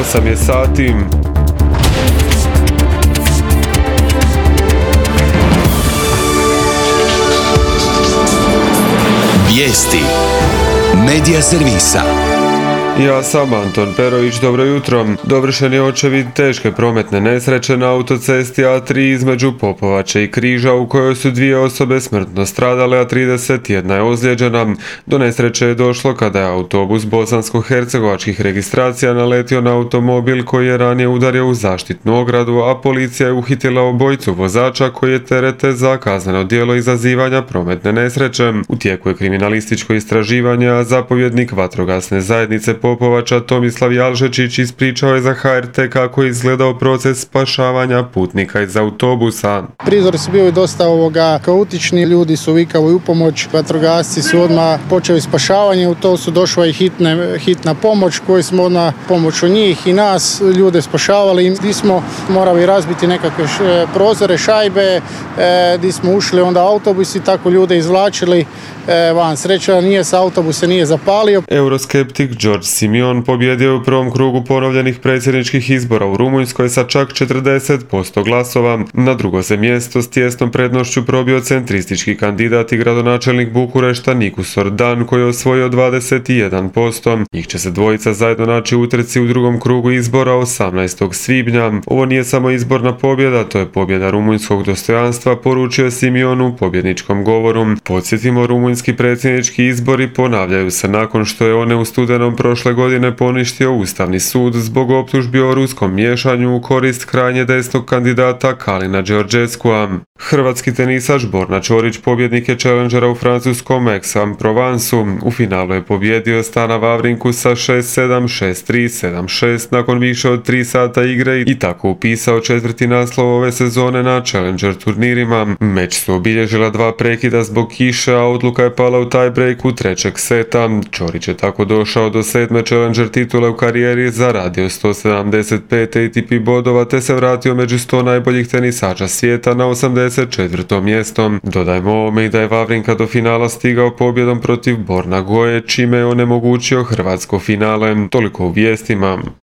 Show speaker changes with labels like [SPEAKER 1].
[SPEAKER 1] 8 je sati.
[SPEAKER 2] Vijesti Medija servisa.
[SPEAKER 1] Ja sam Anton Perović, dobro jutro. Dovršen je očevid teške prometne nesreće na autocesti A3 između Popovače i Križa u kojoj su 2 osobe smrtno stradale, a 31 je ozlijeđena. Do nesreće je došlo kada je autobus bosansko-hercegovačkih registracija naletio na automobil koji je ranije udario u zaštitnu ogradu, a policija je uhitila obojicu vozača koji je terete za kazneno djelo izazivanja prometne nesreće. U tijeku je kriminalističko istraživanje, a zapovjednik vatrogasne zajednice Popovača Tomislav Jalžečić ispričao je za HRT kako je izgledao proces spašavanja putnika iz autobusa.
[SPEAKER 3] Prizori su bili dosta kaotični, ljudi su vikali u pomoć, vatrogasci su odmah počeli spašavanje, u to su došla i hitna pomoć koji smo odmah pomoću njih i nas ljude spašavali. Gdje smo morali razbiti nekakve prozore, šajbe, gdje smo ušli onda autobus i tako ljude izvlačili van. Sreća autobus se nije zapalio.
[SPEAKER 1] Euroskeptik Đorđe Simion pobjedio je u prvom krugu ponovljenih predsjedničkih izbora u Rumunjskoj sa čak 40% glasova. Na drugo se mjesto s tijesnom prednošću probio centristički kandidat i gradonačelnik Bukurešta Nikus Ordan koji je osvojio 21%. Njih će se dvojica zajedno naći u utrci u drugom krugu izbora 18. svibnja. Ovo nije samo izborna pobjeda, to je pobjeda rumunjskog dostojanstva, poručio Simion u pobjedničkom govoru. Podsjetimo, rumunjski predsjednički izbori ponavljaju se nakon što je one u studenom prošle godine poništio Ustavni sud zbog optužbi o ruskom miješanju u korist krajnje desnog kandidata Kalina Đorđeskua. Hrvatski tenisač Borna Ćorić pobjednik je Challengera u francuskom Aix-en-Provenceu. U finalu je pobjedio Stana Vavrinku sa 6-7, 6-3, 7-6 nakon više od 3 sata igre i tako upisao 4. naslov ove sezone na Challenger turnirima. Meč su obilježila 2 prekida zbog kiše, a odluka je pala u tiebreaku 3. seta. Ćorić je tako došao do 7. Challenger titule u karijeri, zaradio 175 ATP bodova te se vratio među 100 najboljih tenisača svijeta na 84. mjesto. Dodajmo ovome i da je Vavrinka do finala stigao pobjedom protiv Borna Goje, čime je onemogućio hrvatsko finale. Toliko u vijestima.